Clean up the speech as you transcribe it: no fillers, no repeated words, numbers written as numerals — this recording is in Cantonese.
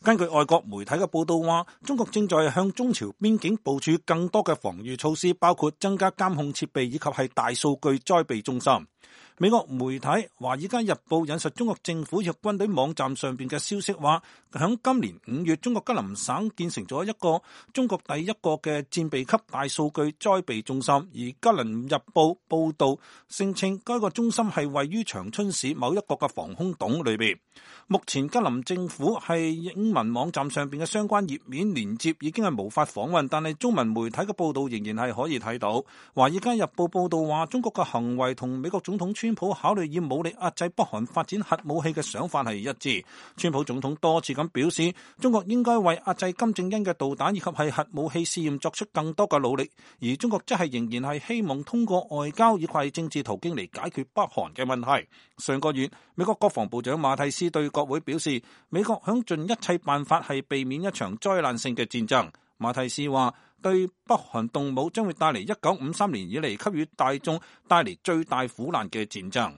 根據外國媒體嘅報道話，中國正在向中朝邊境部署更多嘅防禦措施，包括增加監控設備以及係大數據災備中心。美國媒體《華爾街日報》引述中國政府及軍隊網站上邊嘅消息話，響今年5月，中國吉林省建成咗一個中國第一個嘅戰備級大數據災備中心。而吉林日報報道聲稱，該個中心係位於長春市某一個嘅防空洞裏邊。目前吉林政府係英文網站上邊嘅相關頁面連接已經係無法訪問，但係中文媒體嘅報道仍然係可以睇到。《華爾街日報》報道話，中國嘅行為同美國總統川普考慮以武力壓制北韓發展核武器嘅想法係一致。川普總統多次咁表示，中國應該為壓制金正恩嘅導彈以及係核武器試驗作出更多嘅努力，而中國則係仍然係希望通過外交以及政治途徑嚟解決北韓嘅問題。上個月，美國國防部長馬蒂斯對國會表示，美國響盡一切辦法係避免一場災難性嘅戰爭。馬蒂斯話，對北韓動武將會帶嚟1953年以嚟給予大眾帶嚟最大苦難嘅戰爭。